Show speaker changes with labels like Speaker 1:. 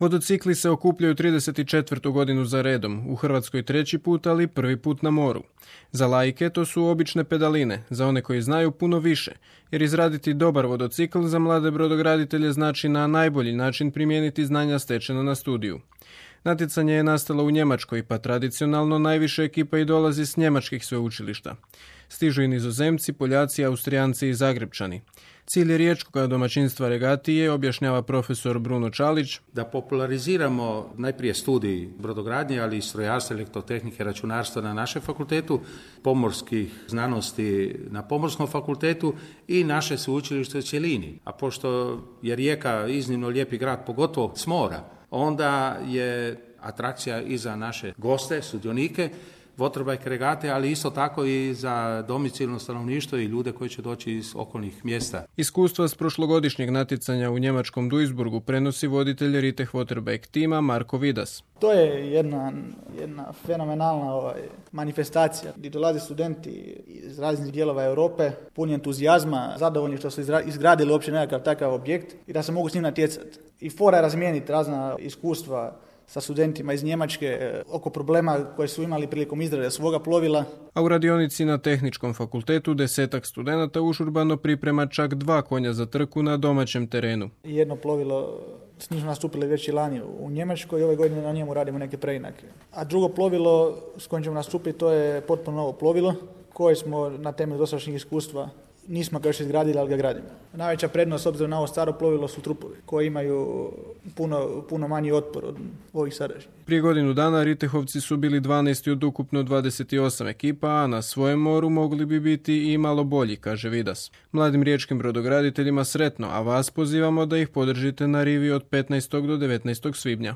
Speaker 1: Vodocikli se okupljaju 34. godinu za redom, u Hrvatskoj 3. put, ali prvi put na moru. Za laike to su obične pedaline, za one koji znaju puno više, jer izraditi dobar vodocikl za mlade brodograditelje znači na najbolji način primijeniti znanja stečena na studiju. Natjecanje je nastalo u Njemačkoj, pa tradicionalno najviše ekipa i dolazi s njemačkih sveučilišta. Stižu i Nizozemci, Poljaci, Austrijanci i Zagrebčani. Cilj riječkog domaćinstva regatije, objašnjava profesor Bruno Čalić,
Speaker 2: da populariziramo najprije studij brodogradnje, ali i strojarstva, elektrotehnike, računarstva na našem fakultetu, pomorskih znanosti na Pomorskom fakultetu i naše sveučilište u cjelini. A pošto je Rijeka iznimno lijepi grad, pogotovo s mora, onda je atrakcija i za naše goste, sudionike, waterbike regate, ali isto tako i za domicilno stanovništvo i ljude koji će doći iz okolnih mjesta.
Speaker 1: Iskustva s prošlogodišnjeg natjecanja u njemačkom Duisburgu prenosi voditelj Riteh Waterbike tima Marko Vidas.
Speaker 3: To je jedna fenomenalna manifestacija gdje dolaze studenti iz raznih dijelova Europe, puni entuzijazma, zadovoljni što su izgradili uopće nekakav takav objekt i da se mogu s njim natjecati. I fora je razmijeniti razna iskustva sa studentima iz Njemačke oko problema koje su imali prilikom izrade svoga plovila.
Speaker 1: A u radionici na Tehničkom fakultetu 10 studenata užurbano priprema čak 2 konja za trku na domaćem terenu.
Speaker 3: Jedno plovilo, s njim smo nastupili već i lani u Njemačkoj i ove godine na njemu radimo neke preinake. A drugo plovilo s kojim ćemo nastupiti, to je potpuno novo plovilo koje smo na temelju dosadašnjeg iskustva nismo ga još izgradili, ali ga gradimo. Najveća prednost s obzirom na ovo staro plovilo su trupovi koji imaju puno manji otpor od ovih sadašnjih.
Speaker 1: Prije godinu dana Ritehovci su bili 12 od ukupno 28 ekipa, a na svojem moru mogli bi biti i malo bolji, kaže Vidas. Mladim riječkim brodograditeljima sretno, a vas pozivamo da ih podržite na rivi od 15. do 19. svibnja.